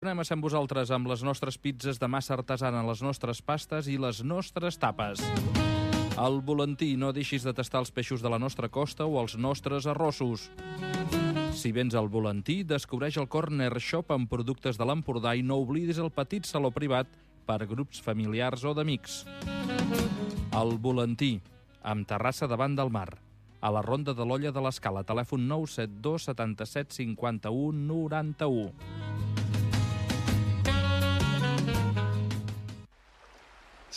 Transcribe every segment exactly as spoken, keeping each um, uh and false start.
Anem a ser amb vosaltres amb les nostres pizzas de massa artesana, les nostres pastes i les nostres tapes. Al volantí, no deixis de tastar els peixos de la nostra costa o els nostres arrossos. Si vens al volantí, descobreix el Corner Shop amb productes de l'Empordà i no oblidis el petit saló privat per grups familiars o d'amics. Al volantí, amb terrassa davant del mar. A la Ronda de l'Olla de l'Escala, telèfon nou set dos setanta-set cinquanta-u noranta-u.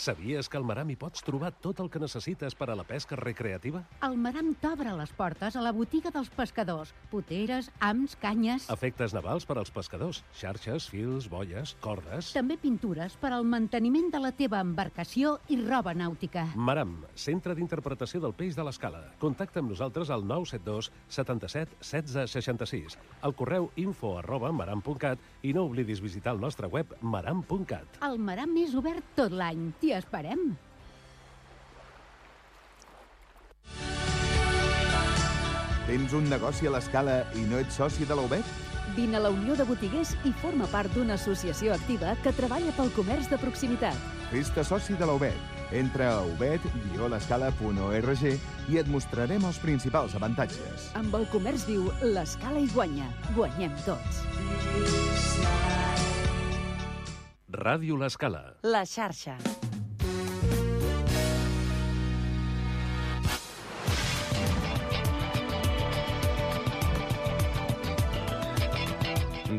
Sabies que al Maram hi pots trobar tot el que necessites per a la pesca recreativa? El Maram t'obre les portes a la botiga dels pescadors. Poteres, hams, canyes... Efectes navals per als pescadors. Xarxes, fils, boies, cordes... També pintures per al manteniment de la teva embarcació i roba nàutica. Maram, centre d'interpretació del peix de l'Escala. Contacta amb nosaltres al nou set dos setanta-set setze seixanta-sis, al correu info arroba maram punt cat i no oblidis visitar el nostre web maram punt cat. El Maram és obert tot l'any. T'hi esperem. Tens un negoci a l'Escala i no ets soci de la U B E T? Vine a la Unió de Botiguers i forma part d'una associació activa que treballa pel comerç de proximitat. Fes-te soci de la U B E T. Entra a ubet guió l'escala punt org i et mostrarem els principals avantatges. Amb el comerç viu, l'Escala hi guanya. Guanyem tots. Ràdio l'Escala. La xarxa.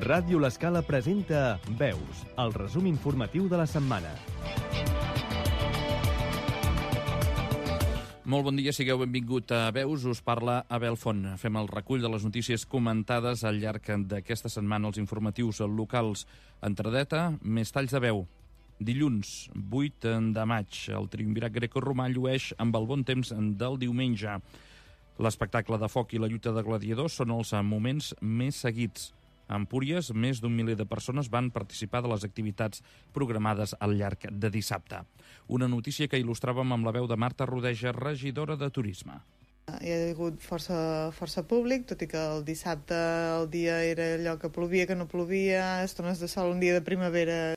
Ràdio l'Escala presenta Veus, el resum informatiu de la setmana. Molt bon dia, sigueu benvingut a Veus, us parla Abel Font. Fem el recull de les notícies comentades al llarg d'aquesta setmana als informatius locals. Entradeta, més talls de veu. Dilluns, vuit de maig, el triumvirat grecoromà llueix amb el bon temps del diumenge. L'espectacle de foc i la lluita de gladiadors són els moments més seguits. A Empúries, més d'un miler de persones van participar de les activitats programades al llarg de dissabte. Una notícia que il·lustràvem amb la veu de Marta Rodeja, regidora de Turisme. Hi ha hagut força, força públic, tot i que el dissabte el dia era allò que plovia, que no plovia, estones de sol, un dia de primavera,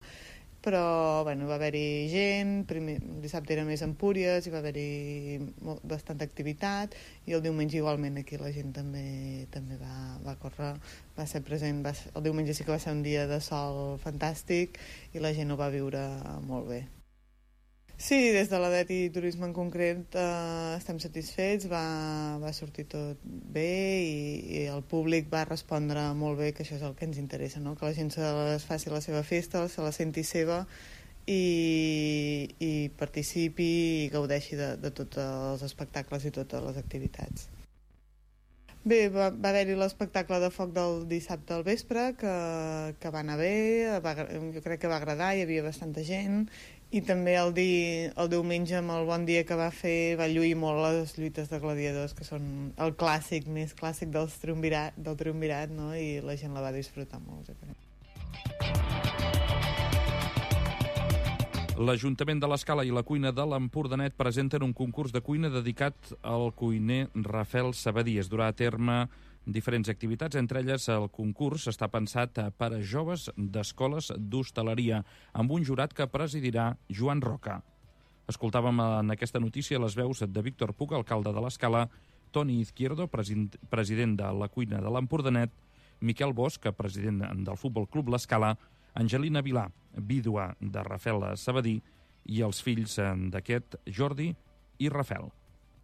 però bueno, va haver-hi gent, primer, el dissabte era més Empúries, hi va haver-hi molt, bastanta activitat, i el diumenge igualment aquí la gent també també va, va córrer, va ser present, va ser, el diumenge sí que va ser un dia de sol fantàstic i la gent ho va viure molt bé. Sí, des de l'A D E T i Turisme en concret eh, estem satisfets, va, va sortir tot bé i, i el públic va respondre molt bé, que això és el que ens interessa, no? Que la gent se les faci la seva festa, se la senti seva i, i participi i gaudeixi de, de tots els espectacles i totes les activitats. Bé, va, va haver-hi l'espectacle de foc del dissabte al vespre, que, que va anar bé, va, jo crec que va agradar, hi havia bastanta gent, i també el, di, el diumenge, amb el bon dia que va fer, va lluir molt les lluites de gladiadors, que són el clàssic, més clàssic dels triumvirat, del triumvirat, no? I la gent la va disfrutar molt, jo crec. L'Ajuntament de l'Escala i la cuina de l'Empordanet presenten un concurs de cuina dedicat al cuiner Rafael Sabadí. Es durà a terme diferents activitats, entre elles el concurs està pensat per a joves d'escoles d'hostaleria, amb un jurat que presidirà Joan Roca. Escoltàvem en aquesta notícia les veus de Víctor Puig, alcalde de l'Escala, Toni Izquierdo, president de la cuina de l'Empordanet, Miquel Bosch, president del Futbol Club l'Escala, Angelina Vilà, vídua de Rafael Sabadí, i els fills d'aquest, Jordi i Rafael.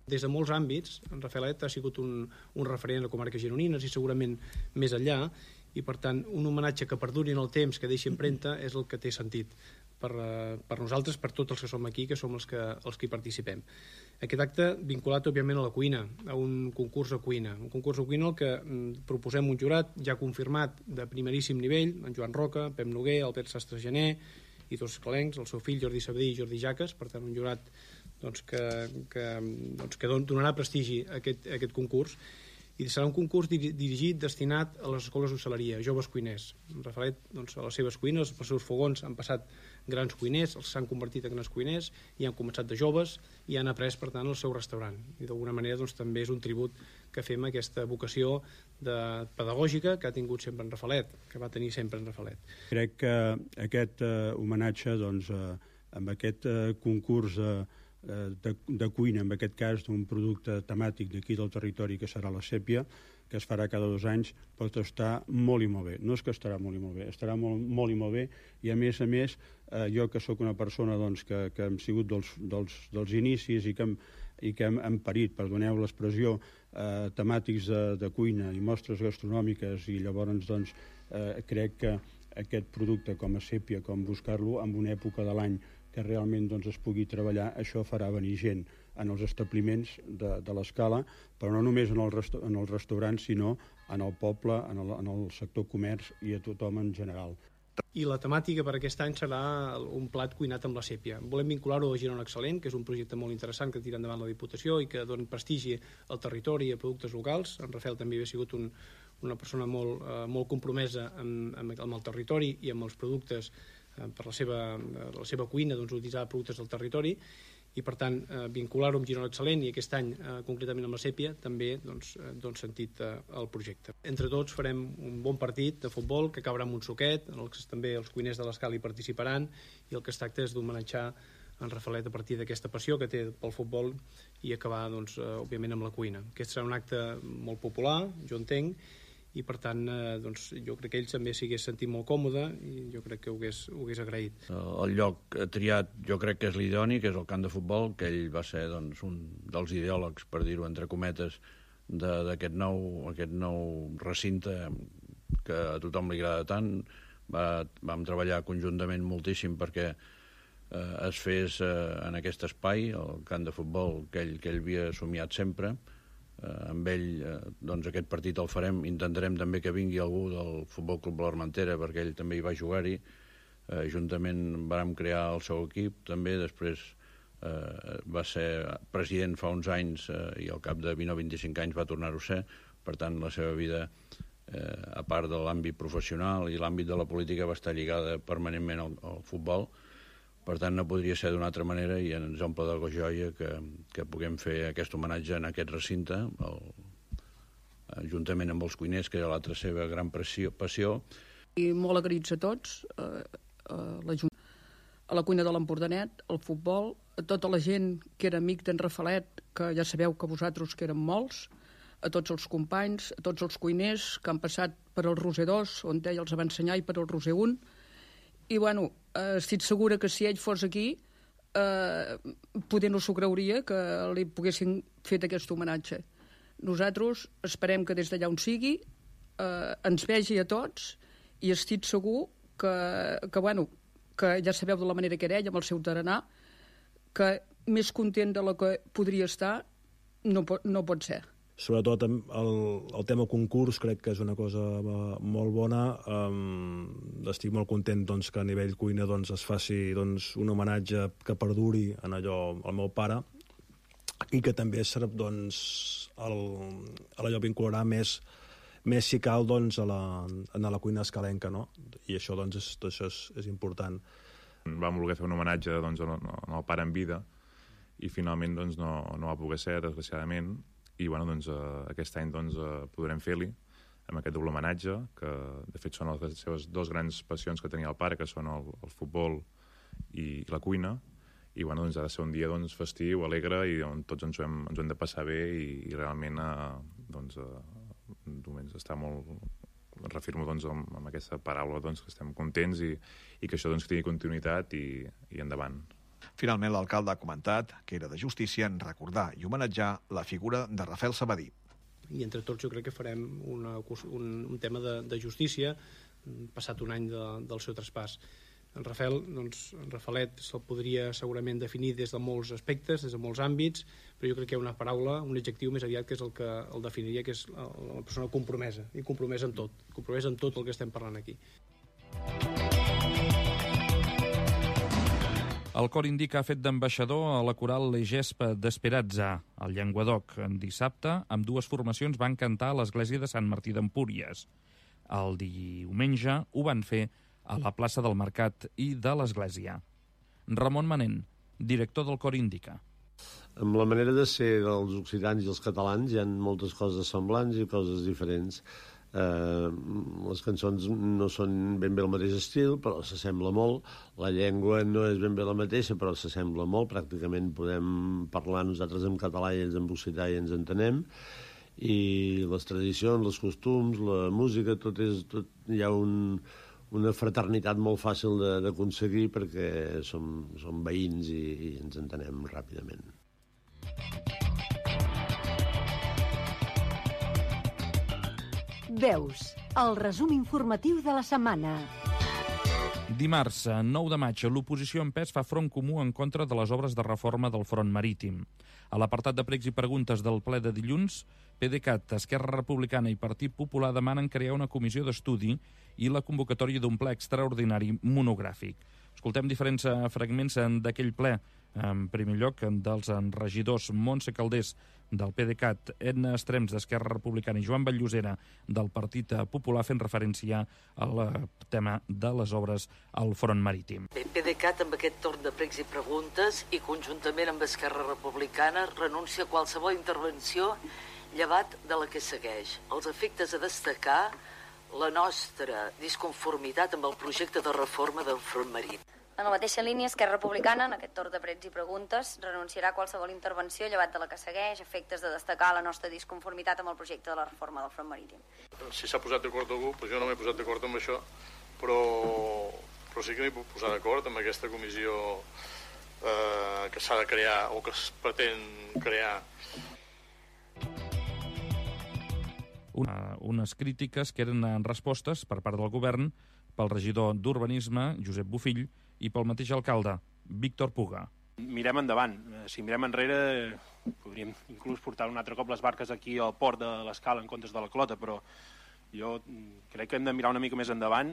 Des de molts àmbits, en Rafaelet ha sigut un, un referent a comarques gironines i segurament més enllà, i per tant un homenatge que perduri en el temps, que deixi empremta, és el que té sentit per, per nosaltres, per tots els que som aquí, que som els que, els que hi participem. Aquest acte vinculat òbviament a la cuina, a un concurs de cuina, un concurs de cuina al que mm, proposem un jurat ja confirmat de primeríssim nivell, en Joan Roca, Pep Noguer, Albert Sastre Gené i dos escalencs, el seu fill Jordi Sabadí i Jordi Jaques, per tant un jurat doncs, que, que, doncs, que donarà prestigi a aquest, a aquest concurs, i serà un concurs dirigit, destinat a les escoles d'hostaleria, joves cuiners. Rafaelet, doncs, a les seves cuines, als seus fogons han passat grans cuiners, els s'han convertit en grans cuiners i han començat de joves i han après, per tant, el seu restaurant. I d'alguna manera doncs, també és un tribut que fem aquesta vocació de pedagògica que ha tingut sempre en Rafalet, que va tenir sempre en Rafalet. Crec que aquest eh, homenatge, doncs, eh, amb aquest eh, concurs eh, de, de cuina, en aquest cas d'un producte temàtic d'aquí del territori que serà la sèpia, que es farà cada dos anys, pot estar molt i molt bé. No és que estarà molt i molt bé, estarà molt, molt i molt bé, i a més a més, eh, jo que sóc una persona doncs, que, que hem sigut dels, dels, dels inicis i que hem, i que hem, hem parit, perdoneu l'expressió, eh, temàtics de, de cuina i mostres gastronòmiques, i llavors doncs, eh, crec que aquest producte com a sèpia, com buscar-lo en una època de l'any que realment doncs, es pugui treballar, això farà venir gent en els establiments de, de l'Escala, però no només en, el resto, en els restaurants, sinó en el poble, en el, en el sector comerç i a tothom en general. I la temàtica per aquest any serà un plat cuinat amb la sèpia. Volem vincular-ho a Girona Excel·lent, que és un projecte molt interessant que tira endavant la Diputació i que dona prestigi al territori i a productes locals. En Rafael també havia sigut un, una persona molt, eh, molt compromesa amb, amb, amb el territori i amb els productes eh, per la seva, la seva cuina, doncs, utilitzar productes del territori, i per tant eh, vincular-ho amb Girona Excel·lent i aquest any eh, concretament amb la sèpia també doncs, eh, dona sentit eh, al projecte. Entre tots farem un bon partit de futbol que acabarà amb un suquet, en el que també els cuiners de l'Escala hi participaran, i el que es tracta és d'homenatjar en Rafalet a partir d'aquesta passió que té pel futbol i acabar doncs, eh, òbviament amb la cuina. Aquest serà un acte molt popular, jo entenc, i per tant eh, doncs, jo crec que ell també s'hi hagués sentit molt còmode i jo crec que ho hagués, ho hagués agraït. El lloc triat jo crec que és l'idoni, que és el camp de futbol, que ell va ser doncs, un dels ideòlegs, per dir-ho entre cometes, d'aquest nou, aquest nou recinte que a tothom li agrada tant. Va, vam treballar conjuntament moltíssim perquè eh, es fes eh, en aquest espai, el camp de futbol que ell, que ell havia somiat sempre. Eh, amb ell, eh, doncs aquest partit el farem, intentarem també que vingui algú del Futbol Club de l'Armentera perquè ell també hi va jugar-hi, eh, juntament vàrem crear el seu equip també, després eh, va ser president fa uns anys eh, i al cap de vint o vint-i-cinc anys va tornar-ho a ser, per tant la seva vida eh, a part de l'àmbit professional i l'àmbit de la política va estar lligada permanentment al, al futbol. Per tant, no podria ser d'una altra manera i ens omple de joia que, que puguem fer aquest homenatge en aquest recinte, el, juntament amb els cuiners, que era l'altra seva gran passió. passió. I molt agraïts a tots, a, a, la, a la cuina de l'Empordanet, al futbol, a tota la gent que era amic d'en Rafalet, que ja sabeu que vosaltres que eren molts, a tots els companys, a tots els cuiners que han passat per el Roser dos, on ell els va ensenyar, i per el Roser un, i bueno, eh, estic segura que si ell fos aquí eh, poder no s'ho creuria que li poguessin fet aquest homenatge. Nosaltres esperem que des d'allà on sigui eh, ens vegi a tots i estic segur que, que, bueno, que ja sabeu de la manera que era ell amb el seu tarannà, que més content de la que podria estar no pot, no pot ser. Sobretot el, el tema concurs crec que és una cosa molt bona. Um, estic molt content doncs, que a nivell cuina doncs, es faci doncs, un homenatge que perduri en allò al meu pare i que també serà doncs, el, allò vincularà més, més si cal doncs, a, la, a la cuina escalenca, no? I això, doncs, és, això és, és important. Vam voler fer un homenatge doncs, al, al pare en vida i finalment doncs, no, no va poder ser, desgraciadament. I bueno, doncs, eh, aquest any doncs, eh, podrem fer-li amb aquest doble homenatge, que de fet són les seves dues grans passions que tenia el pare, que són el, el futbol i la cuina, i bueno, doncs, ha de ser un dia doncs, festiu, alegre, i on tots ens ho hem, ens ho hem de passar bé, i, i realment eh, doncs, eh, doncs, està molt... Refirmo doncs, amb, amb aquesta paraula doncs, que estem contents i, i que això doncs, tingui continuïtat i, i endavant. Finalment, l'alcalde ha comentat que era de justícia en recordar i homenatjar la figura de Rafael Sabadí. I entre tots jo crec que farem una, un, un tema de, de justícia, passat un any de, del seu traspàs. En Rafael, doncs, en Rafalet se'l podria segurament definir des de molts aspectes, des de molts àmbits, però jo crec que hi ha una paraula, un adjectiu més aviat que és el que el definiria, que és la persona compromesa, i compromesa en tot, compromesa en tot el que estem parlant aquí. El cor indica ha fet d'ambaixador a la coral Legespa d'Esperanza, al Llenguadoc. Dissabte, amb dues formacions van cantar a l'església de Sant Martí d'Empúries. El diumenge ho van fer a la plaça del Mercat i de l'església. Ramon Manent, director del cor indica. Amb la manera de ser dels occitans i els catalans hi ha moltes coses semblants i coses diferents. Eh, les cançons no són ben bé el mateix estil, però s'assembla molt. La llengua no és ben bé la mateixa, però s'assembla molt. Pràcticament podem parlar nosaltres en català i ells en occità i ens entenem. I les tradicions, els costums, la música, tot és... Tot, hi ha un, una fraternitat molt fàcil d'aconseguir perquè som, som veïns i, i ens entenem ràpidament. Veus, el resum informatiu de la setmana. Dimarts, nou de maig, l'oposició en pes fa front comú en contra de les obres de reforma del front marítim. A l'apartat de pregs i preguntes del ple de dilluns, PDeCAT, Esquerra Republicana i Partit Popular demanen crear una comissió d'estudi i la convocatòria d'un ple extraordinari monogràfic. Escoltem diferents fragments d'aquell ple. En primer lloc, dels regidors Montse Calders del PDeCAT, Edna Estrems d'Esquerra Republicana i Joan Batllosera del Partit Popular fent referència al tema de les obres al front marítim. Bé, PDeCAT amb aquest torn de pregs i preguntes i conjuntament amb Esquerra Republicana renuncia a qualsevol intervenció llevat de la que segueix. Els efectes a destacar la nostra disconformitat amb el projecte de reforma del front marítim. En la mateixa línia, Esquerra Republicana, en aquest torn de pregs i preguntes, renunciarà a qualsevol intervenció llevat de la que segueix, efectes de destacar la nostra disconformitat amb el projecte de la reforma del front marítim. Si s'ha posat d'acord algú, doncs jo no m'he posat d'acord amb això, però, però sí que m'he posat d'acord amb aquesta comissió eh, que s'ha de crear o que es pretén crear. Una, unes crítiques que eren en respostes per part del govern pel regidor d'Urbanisme, Josep Bofill, i pel mateix alcalde, Víctor Puga. Mirem endavant. Si mirem enrere, podríem inclús portar un altre cop les barques aquí al port de l'Escala en comptes de la Clota, però jo crec que hem de mirar una mica més endavant.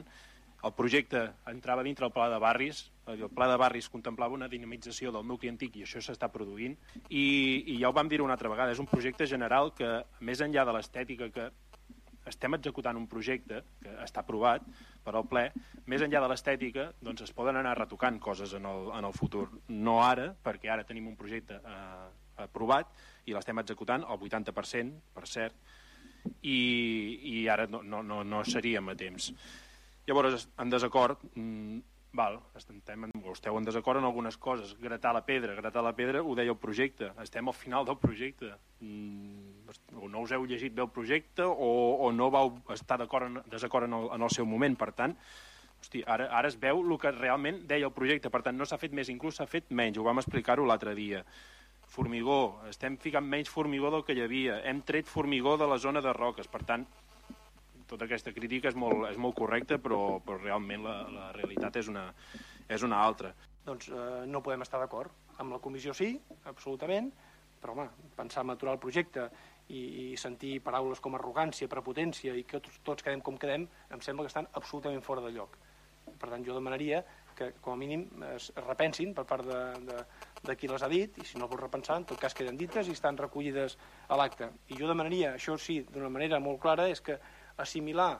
El projecte entrava dintre el pla de barris, el pla de barris contemplava una dinamització del nucli antic i això s'està produint, i, i ja ho vam dir una altra vegada, és un projecte general que, més enllà de l'estètica que estem executant un projecte que està aprovat per al ple, més enllà de l'estètica, doncs es poden anar retocant coses en el, en el futur. No ara, perquè ara tenim un projecte eh, aprovat i l'estem executant al vuitanta per cent, per cert, i, i ara no, no, no, no seríem a temps. Llavors, en desacord, mmm, val, estem, esteu en desacord en algunes coses. Gratar la pedra, gratar la pedra ho deia el projecte, estem al final del projecte. Mm, o no us heu llegit bé el projecte o, o no vau estar en, desacord en el, en el seu moment. Per tant, hosti, ara, ara es veu el que realment deia el projecte. Per tant, no s'ha fet més, inclús s'ha fet menys. Ho vam explicar-ho l'altre dia. Formigó, estem ficant menys formigó del que hi havia. Hem tret formigó de la zona de roques. Per tant, tota aquesta crítica és molt, és molt correcta, però, però realment la, la realitat és una, és una altra. Doncs eh, no podem estar d'acord. Amb la comissió sí, absolutament, però home, pensar en aturar el projecte i, i sentir paraules com arrogància, prepotència i que tots, tots quedem com quedem, em sembla que estan absolutament fora de lloc. Per tant, jo demanaria que com a mínim es repensin per part de, de, de qui les ha dit, i si no el vol repensar, en tot cas queden dites i estan recollides a l'acte. I jo demanaria, això sí, d'una manera molt clara, és que assimilar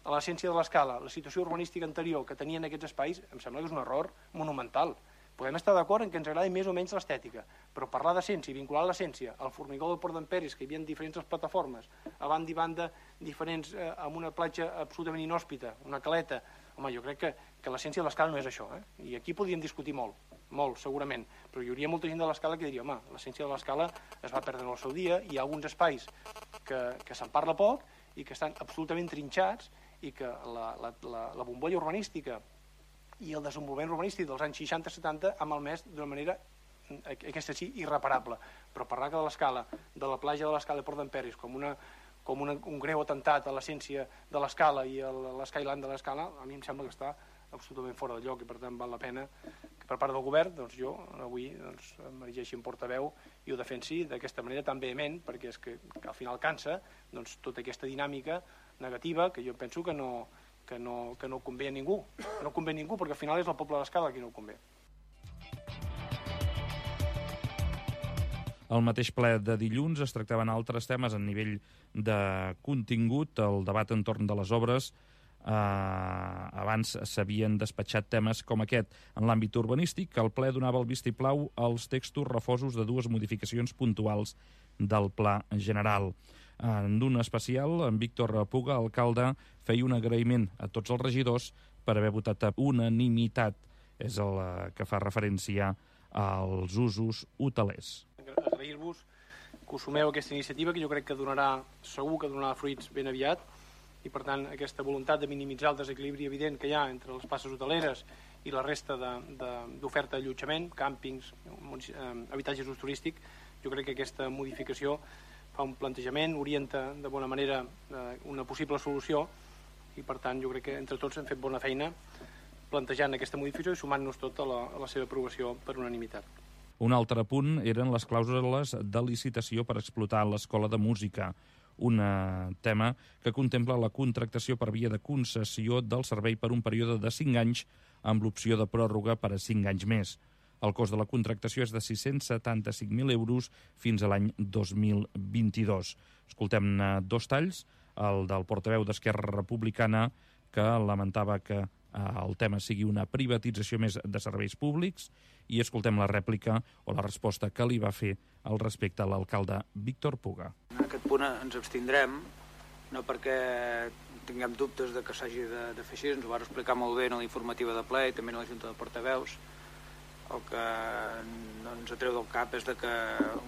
a l'essència de l'Escala la situació urbanística anterior que tenien aquests espais, em sembla que és un error monumental. Podem estar d'acord en que ens agradi més o menys l'estètica, però parlar d'essència i vincular l'essència al formigó del Port d'Emperis, que hi havia diferents plataformes, a banda i banda diferents, eh, amb una platja absolutament inhòspita, una caleta, home, jo crec que, que l'essència de l'Escala no és això, eh? I aquí podríem discutir molt, molt, segurament, però hi hauria molta gent de l'Escala que diria, home, l'essència de l'Escala es va perdre en el seu dia, hi ha alguns espais que, que se'n parla poc i que estan absolutament trinxats i que la, la, la, la bombolla urbanística i el desenvolupament urbanístic dels anys seixanta setanta ha malmès d'una manera, aquesta sí, irreparable. Però parlar que de l'Escala, de la platja de l'Escala de Port d'Emperis, com, una, com una, un greu atemptat a l'essència de l'Escala i a l'Skyline de l'Escala, a mi em sembla que està absolutament fora de lloc i per tant val la pena que per part del govern doncs jo avui doncs, m'erigeixi en portaveu i ho defensi d'aquesta manera tan vehement, perquè és que, que al final cansa doncs, tota aquesta dinàmica negativa que jo penso que no, que no, que no convé a ningú, que no convé a ningú perquè al final és el poble de l'Escala qui no ho convé. Al mateix ple de dilluns es tractaven altres temes a nivell de contingut, el debat entorn de les obres Uh, abans s'havien despatxat temes com aquest. En l'àmbit urbanístic, el ple donava el vistiplau als textos refosos de dues modificacions puntuals del pla general. En un especial, en Víctor Puga, alcalde, feia un agraïment a tots els regidors per haver votat a unanimitat. És el que fa referència als usos hotelers. Agrair-vos que us sumeu a aquesta iniciativa, que jo crec que donarà, segur que donarà fruits ben aviat, i per tant aquesta voluntat de minimitzar el desequilibri evident que hi ha entre les places hoteleres i la resta d'oferta d'allotjament, càmpings, habitatges d'ús turístic, jo crec que aquesta modificació fa un plantejament, orienta de bona manera una possible solució, i per tant jo crec que entre tots hem fet bona feina plantejant aquesta modificació i sumant-nos tot a la, a la seva aprovació per unanimitat. Un altre punt eren les clàusules de licitació per explotar l'Escola de Música, un tema que contempla la contractació per via de concessió del servei per un període de cinc anys amb l'opció de pròrroga per a cinc anys més. El cost de la contractació és de sis-cents setanta-cinc mil euros fins a l'any dos mil vint-i-dos. Escoltem dos talls, el del portaveu d'Esquerra Republicana, que lamentava que el tema sigui una privatització més de serveis públics, i escoltem la rèplica o la resposta que li va fer al respecte a l'alcalde Víctor Puga. En aquest punt ens abstindrem, no perquè tinguem dubtes de que s'hagi de, de fer així, ens ho va explicar molt bé en l'informativa de ple i també en la Junta de Portaveus. El que no ens atreu del cap és de que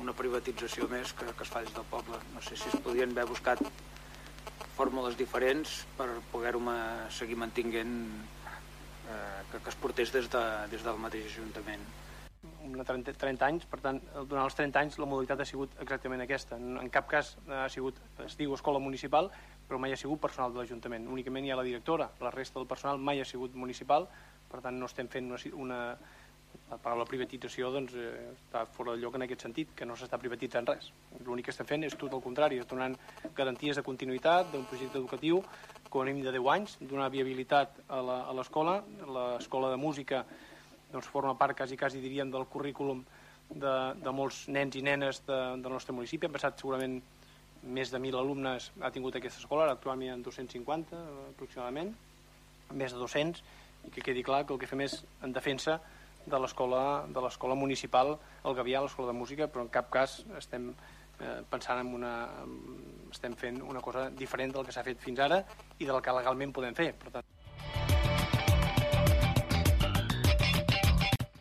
una privatització més que, que es fa des del poble. No sé si es podien haver buscat fórmules diferents per poder-ho seguir mantinguent, eh, que, que es portés des, de, des del mateix Ajuntament. trenta, trenta anys, per tant, durant els trenta anys la modalitat ha sigut exactament aquesta. En cap cas ha sigut, es diu escola municipal, però mai ha sigut personal de l'Ajuntament. Únicament hi ha la directora, la resta del personal mai ha sigut municipal, per tant no estem fent una... una la paraula privatització doncs, eh, està fora de lloc en aquest sentit, que no s'està privatitzant res. L'únic que estem fent és tot el contrari, és donant garanties de continuïtat d'un projecte educatiu com a mínim de deu anys, donar viabilitat a l'escola. L'escola de música doncs, forma part, quasi, quasi diríem, del currículum de, de molts nens i nenes de, del nostre municipi. Han passat segurament més de mil alumnes ha tingut aquesta escola, actualment hi ha dos-cents cinquanta aproximadament, més de dos-cents, i que quedi clar que el que fem és en defensa de l'escola de l'escola municipal, el Gavià, l'escola de música, però en cap cas estem eh, pensant en una... estem fent una cosa diferent del que s'ha fet fins ara i del que legalment podem fer. Per tant...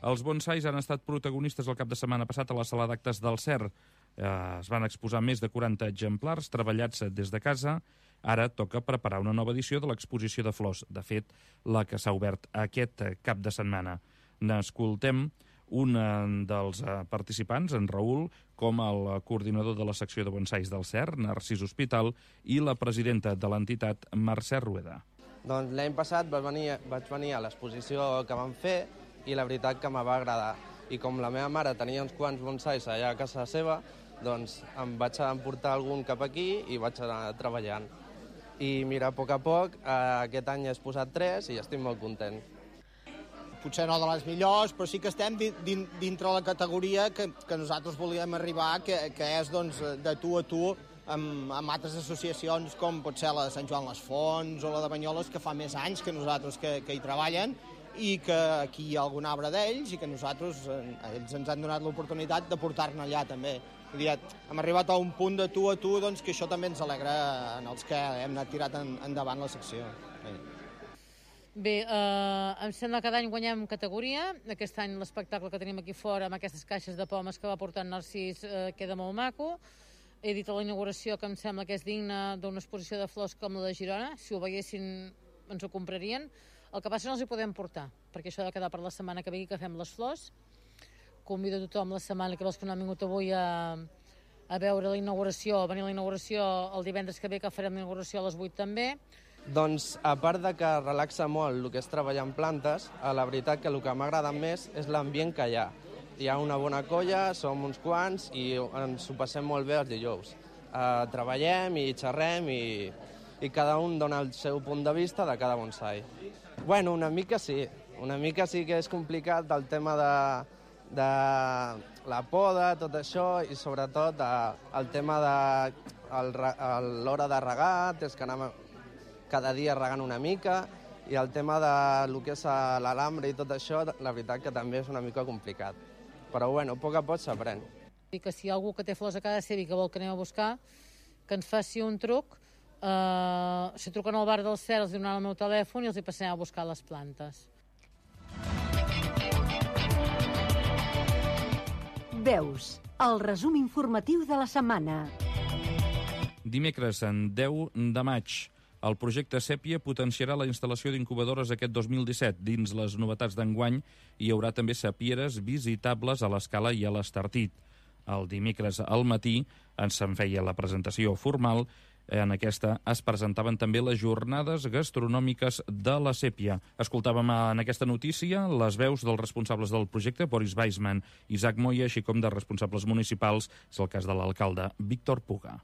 Els bonsais han estat protagonistes el cap de setmana passat a la sala d'actes del C E R. Eh, es van exposar més de quaranta exemplars treballats des de casa. Ara toca preparar una nova edició de l'exposició de flors, de fet, la que s'ha obert aquest cap de setmana. N'escoltem un dels participants, en Raül, com el coordinador de la secció de bonsais del C E R, Narcís Hospital, i la presidenta de l'entitat, Mercè Rueda. Doncs l'any passat vaig venir, vaig venir a l'exposició que vam fer i la veritat que me va agradar. I com la meva mare tenia uns quants bonsais allà a casa seva, doncs em vaig emportar algun cap aquí i vaig anar treballant. I mira, a poc a poc, aquest any he posat tres i estic molt content. Potser no de les millors, però sí que estem dintre la categoria que, que nosaltres volíem arribar, que, que és doncs, de tu a tu amb, amb altres associacions com pot ser la de Sant Joan les Fonts o la de Banyoles, que fa més anys que nosaltres que, que hi treballen i que aquí hi ha algun arbre d'ells i que nosaltres, ells ens han donat l'oportunitat de portar-ne allà també. Vull dir, hem arribat a un punt de tu a tu doncs, que això també ens alegra en els que hem anat tirat en, endavant la secció. Bé. Bé, eh, em sembla que cada any guanyem categoria. Aquest any l'espectacle que tenim aquí fora amb aquestes caixes de pomes que va portar Narcís eh, queda molt maco. He dit a la inauguració que em sembla que és digne d'una exposició de flors com la de Girona. Si ho veiessin ens ho comprarien. El que passa no els hi podem portar, perquè això ha de quedar per la setmana que ve que fem les flors. Convido a tothom la setmana que vols que no han vingut avui a, a veure la inauguració, a venir a la inauguració el divendres que ve, que farem la inauguració a les vuit també. Doncs, a part de que relaxa molt el que és treballar en plantes, la veritat que el que m'agrada més és l'ambient que hi ha. Hi ha una bona colla, som uns quants i ens ho passem molt bé els dijous. Uh, treballem i xerrem i, i cada un dona el seu punt de vista de cada bonsai. Bueno, una mica sí. Una mica sí que és complicat el tema de, de la poda, tot això, i sobretot uh, el tema de l'hora de regar, tens que anar... cada dia regant una mica, i el tema de lo que és l'alambre i tot això, la veritat que també és una mica complicat. Però bueno, a poc a poc s'aprèn. I que si hi ha algú que té flors a casa seva i que vol que anem a buscar, que ens faci un truc, eh, si truquen al bar del Cel, els donaran el meu telèfon i els hi passarem a buscar les plantes. Veus, el resum informatiu de la setmana. Dimecres, en deu de maig, el projecte Sèpia potenciarà la instal·lació d'incubadores aquest dos mil disset. Dins les novetats d'enguany hi haurà també sapieres visitables a l'Escala i a l'Estartit. El dimecres al matí ens en feia la presentació formal. En aquesta es presentaven també les jornades gastronòmiques de la Sèpia. Escoltàvem en aquesta notícia les veus dels responsables del projecte, Boris Weissman i Isaac Moya, així com de responsables municipals. És el cas de l'alcalde Víctor Puga.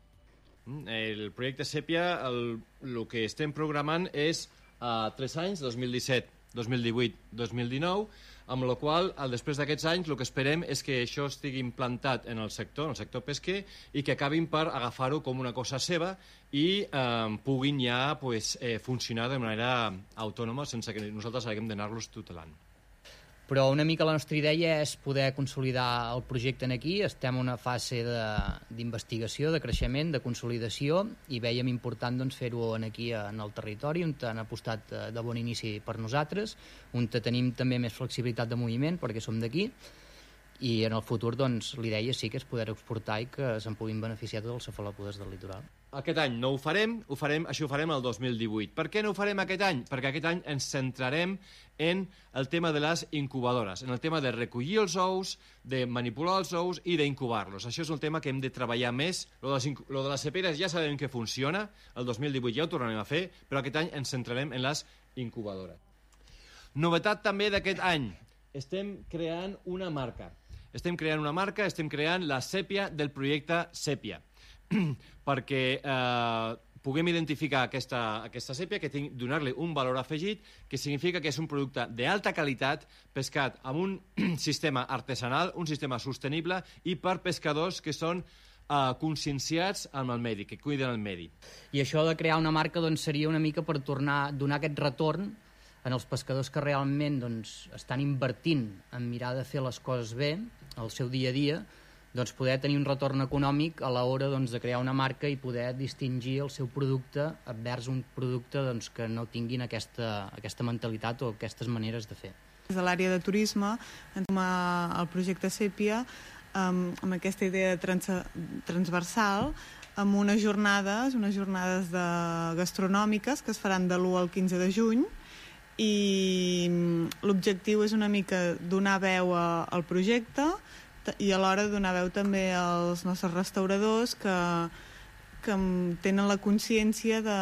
El projecte Sèpia, el, el que estem programant és a uh, tres anys, dos mil disset, dos mil divuit, dos mil dinou, amb la qual, després d'aquests anys, el que esperem és que això estigui implantat en el sector, en el sector pesquer, i que acabin per agafar-ho com una cosa seva i eh, puguin ja pues, eh, funcionar de manera autònoma sense que nosaltres haguem d'anar-los tutelant. Però una mica la nostra idea és poder consolidar el projecte en aquí. Estem en una fase d'investigació, de, de creixement, de consolidació, i veiem important doncs, fer-ho aquí en el territori, on han apostat de bon inici per nosaltres, on tenim també més flexibilitat de moviment perquè som d'aquí, i en el futur doncs, l'idea sí que és poder exportar i que se'n puguin beneficiar tots els cefalòpodes del litoral. Aquest any no ho farem, ho farem, això ho farem el dos mil divuit. Per què no ho farem aquest any? Perquè aquest any ens centrarem en el tema de les incubadores, en el tema de recollir els ous, de manipular els ous i d'incubar-los. Això és un tema que hem de treballar més. Lo de les, lo de les seperes ja sabem que funciona, el dos mil divuit ja ho tornarem a fer, però aquest any ens centrarem en les incubadores. Novetat també d'aquest any, estem creant una marca. Estem creant una marca, estem creant la Sèpia del projecte Sèpia, perquè eh, puguem identificar aquesta, aquesta sèpia, que donar-li un valor afegit, que significa que és un producte d'alta qualitat, pescat amb un sistema artesanal, un sistema sostenible, i per pescadors que són eh, conscienciats amb el medi, que cuiden el medi. I això de crear una marca doncs, seria una mica per tornar a donar aquest retorn en els pescadors que realment doncs, estan invertint en mirar de fer les coses bé, al seu dia a dia, doncs poder tenir un retorn econòmic a l'hora doncs, de crear una marca i poder distingir el seu producte envers un producte doncs, que no tinguin aquesta, aquesta mentalitat o aquestes maneres de fer. Des de l'àrea de turisme, entrem al projecte Sèpia amb, amb aquesta idea trans, transversal, amb unes jornades, unes jornades de gastronòmiques que es faran de l'u al quinze de juny, i l'objectiu és una mica donar veu a, al projecte i alhora donar veu també als nostres restauradors que, que tenen la consciència de,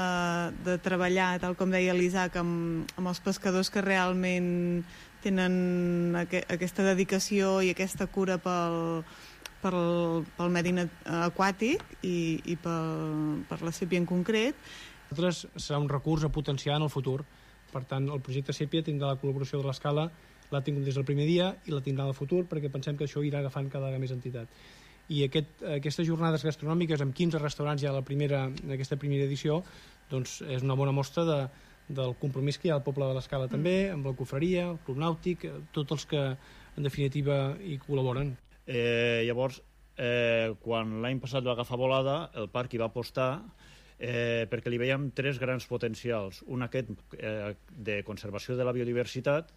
de treballar, tal com deia l'Isaac, amb, amb els pescadors que realment tenen aqu aquesta dedicació i aquesta cura pel, pel, pel medi aquàtic i, i pel, per la sèpia en concret. Nosaltres serà un recurs a potenciar en el futur. Per tant, el projecte Sèpia tindrà la col·laboració de l'Escala, l'ha tingut des del primer dia i la tindrà en el futur, perquè pensem que això irà agafant cada vegada més entitat. I aquest, aquestes jornades gastronòmiques amb quinze restaurants ja a la primera, en aquesta primera edició, doncs és una bona mostra de, del compromís que hi ha al poble de l'Escala també, amb la cofreria, el Club Nàutic, tots els que en definitiva hi col·laboren. Eh, llavors, eh, quan l'any passat va agafar volada, el parc hi va apostar Eh, perquè li veiem tres grans potencials. Un aquest eh, de conservació de la biodiversitat,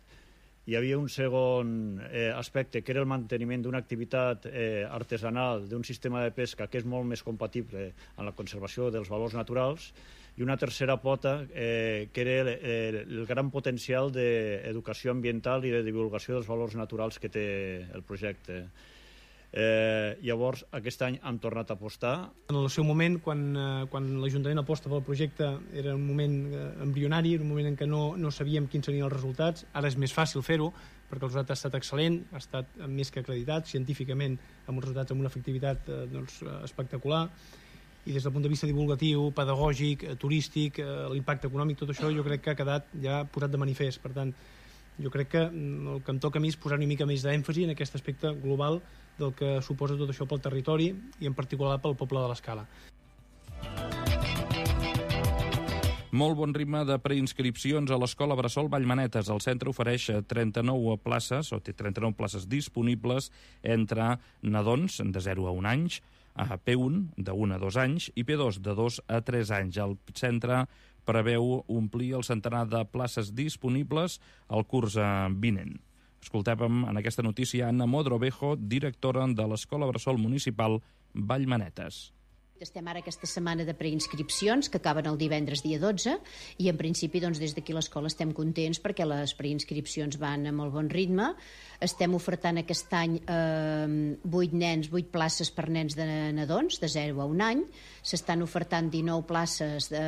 hi havia un segon eh, aspecte que era el manteniment d'una activitat eh, artesanal, d'un sistema de pesca que és molt més compatible amb la conservació dels valors naturals, i una tercera pota eh, que era el, el, el gran potencial d'educació ambiental i de divulgació dels valors naturals que té el projecte. Eh, llavors aquest any han tornat a apostar. En el seu moment, quan, eh, quan l'Ajuntament aposta pel projecte, era un moment eh, embrionari, un moment en què no, no sabíem quins serien els resultats. Ara és més fàcil fer-ho perquè el resultat ha estat excel·lent, ha estat més que acreditat científicament, amb uns resultats amb una efectivitat eh, doncs, espectacular, i des del punt de vista divulgatiu, pedagògic, eh, turístic, eh, l'impacte econòmic, tot això jo crec que ha quedat ja posat de manifest. Per tant, jo crec que el que em toca a mi és posar una mica més d'èmfasi en aquest aspecte global del que suposa tot això pel territori i en particular pel poble de l'Escala. Molt bon ritme de preinscripcions a l'Escola Bressol Vallmanetes. El centre ofereix trenta-nou places, o té trenta-nou places disponibles entre nadons de zero a un anys, a P un de un a dos anys i P dos de dos a tres anys. El centre preveu omplir el centenar de places disponibles al curs vinent. Escoltàvem en aquesta notícia Anna Modrovejo, directora de l'Escola Bressol Municipal Vallmanetes. Estem ara aquesta setmana de preinscripcions que acaben el divendres dia dotze i en principi doncs, des d'aquí a l'escola estem contents perquè les preinscripcions van a molt bon ritme. Estem ofertant aquest any eh, vuit nens, vuit places per nens de nadons de zero a un any. S'estan ofertant dinou places de,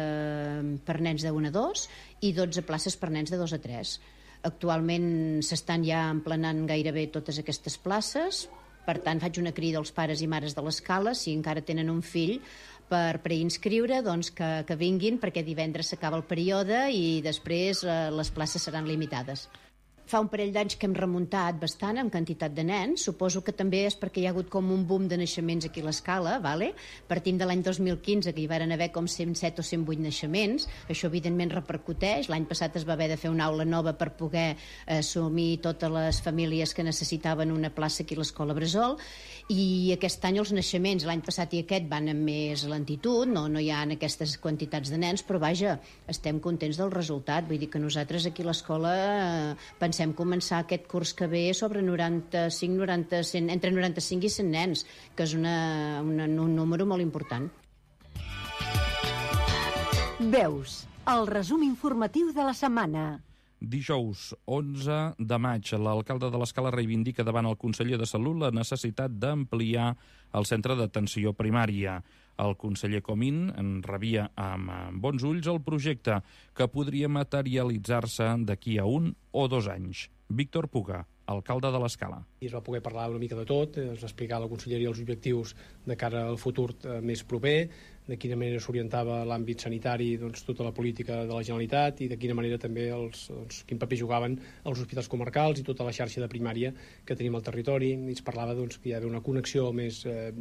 per nens de un a dos i dotze places per nens de dos a tres. Actualment s'estan ja emplenant gairebé totes aquestes places. Per tant, faig una crida als pares i mares de l'Escala, si encara tenen un fill per preinscriure, doncs que, que vinguin, perquè divendres s'acaba el període i després eh, les places seran limitades. Fa un parell d'anys que hem remuntat bastant en quantitat de nens. Suposo que també és perquè hi ha hagut com un boom de naixements aquí a l'Escala, vale? Partim de l'any dos mil quinze, que hi van haver com cent set o cent vuit naixements. Això, evidentment, repercuteix. L'any passat es va haver de fer una aula nova per poder assumir totes les famílies que necessitaven una plaça aquí a l'Escola Bressol. I aquest any els naixements, l'any passat i aquest, van amb més lentitud, no, no hi ha aquestes quantitats de nens, però vaja, estem contents del resultat. Vull dir que nosaltres aquí a l'escola eh, pensem començar aquest curs que ve sobre noranta-cinc, noranta, cent, entre noranta-cinc i cent nens, que és una, una, un número molt important. Veus, el resum informatiu de la setmana. Dijous, onze de maig, l'alcalde de l'Escala reivindica davant el conseller de Salut la necessitat d'ampliar el centre d'atenció primària. El conseller Comín en rebia amb bons ulls el projecte que podria materialitzar-se d'aquí a un o dos anys. Víctor Puga, alcalde de l'Escala. I es va poder parlar una mica de tot, es va explicar a la conselleria els objectius de cara al futur més proper, de quina manera s'orientava l'àmbit sanitari, doncs, tota la política de la Generalitat i de quina manera també els, doncs, quin paper jugaven els hospitals comarcals i tota la xarxa de primària que tenim al territori. I es parlava doncs, que hi ha d'haver una connexió més, eh,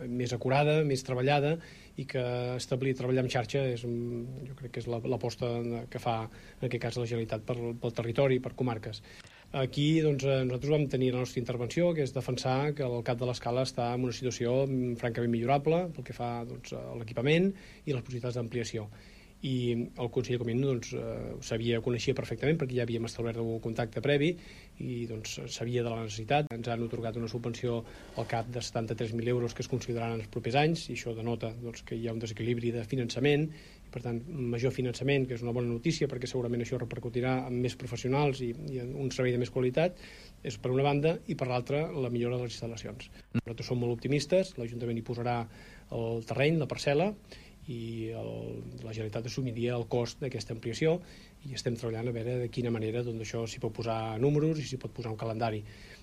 més acurada, més treballada i que establir treballar en xarxa és, jo crec que és l'aposta que fa en aquest cas la Generalitat pel, pel territori, per comarques. Aquí doncs, nosaltres vam tenir la nostra intervenció, que és defensar que el cap de l'Escala està en una situació francament millorable pel que fa doncs, a l'equipament i les possibilitats d'ampliació. I el conseller Comín doncs, sabia, coneixia perfectament perquè ja havíem establert un contacte previ i doncs, sabia de la necessitat. Ens han atorgat una subvenció al cap de setanta-tres mil euros que es consideraran els propers anys i això denota doncs, que hi ha un desequilibri de finançament. Per tant, major finançament, que és una bona notícia perquè segurament això repercutirà en més professionals i, i en un servei de més qualitat, és per una banda, i per l'altra la millora de les instal·lacions. Nosaltres som molt optimistes, l'Ajuntament hi posarà el terreny, la parcel·la, i el, la Generalitat assumiria el cost d'aquesta ampliació i estem treballant a veure de quina manera doncs, això s'hi pot posar números i s'hi pot posar un calendari.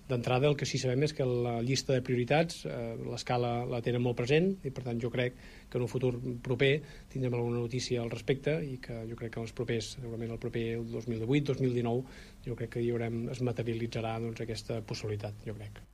D'entrada, el que sí sabem és que la llista de prioritats eh, l'Escala la tenen molt present i per tant jo crec que en un futur proper tindrem alguna notícia al respecte i que jo crec que els propers, segurament el proper dos mil divuit dos mil dinou, jo crec que hi haurem, es materialitzarà doncs, aquesta possibilitat, jo crec.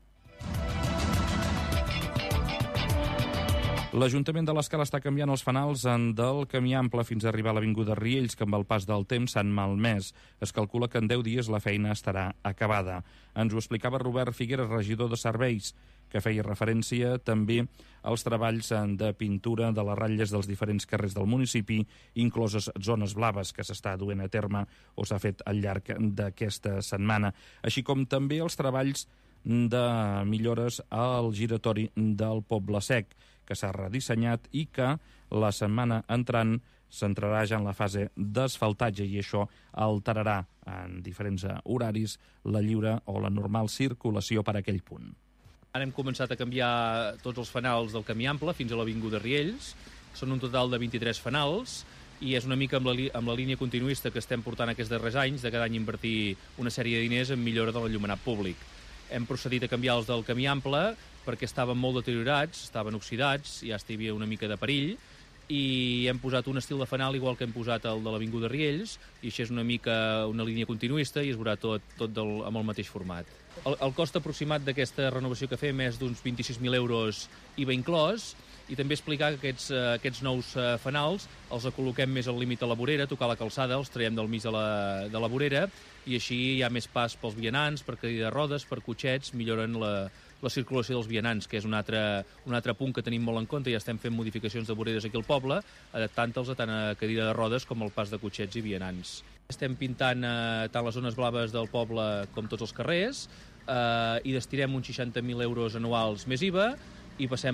L'Ajuntament de l'Escala està canviant els fanals del camí ample fins a arribar a l'Avinguda Riells, que amb el pas del temps s'han malmès. Es calcula que en deu dies la feina estarà acabada. Ens ho explicava Robert Figueres, regidor de Serveis, que feia referència també als treballs de pintura de les ratlles dels diferents carrers del municipi, incloses zones blaves que s'està duent a terme o s'ha fet al llarg d'aquesta setmana, així com també els treballs de millores al giratori del Poble Sec, que s'ha redissenyat i que la setmana entrant s'entrarà ja en la fase d'asfaltatge i això alterarà en diferents horaris la lliure o la normal circulació per a aquell punt. Ara hem començat a canviar tots els fanals del camí ample fins a l'Avinguda Riells. Són un total de vint-i-tres fanals i és una mica amb la, amb la línia continuista que estem portant aquests darrers anys de cada any invertir una sèrie de diners en millora de l'enllumenat públic. Hem procedit a canviar els del camí ample perquè estaven molt deteriorats, estaven oxidats, ja hi havia una mica de perill, i hem posat un estil de fanal igual que hem posat el de l'Avinguda Riells, i això és una mica una línia continuista i es veurà tot, tot del, amb el mateix format. El, el cost aproximat d'aquesta renovació que fem és d'uns vint-i-sis mil euros I V A inclòs, i també explicar que aquests, uh, aquests nous uh, fanals els col·loquem més al límit de la vorera, tocar la calçada, els traiem del mig de la, de la vorera, i així hi ha més pas pels vianants, per cadira de rodes, per cotxets, milloren la, la circulació dels vianants, que és un altre, un altre punt que tenim molt en compte. Ja estem fent modificacions de voreres aquí al poble, adaptant-los a tant a cadira de rodes com al pas de cotxets i vianants. Estem pintant eh, tant les zones blaves del poble com tots els carrers, eh, i destinem uns seixanta mil euros anuals més I V A, i passem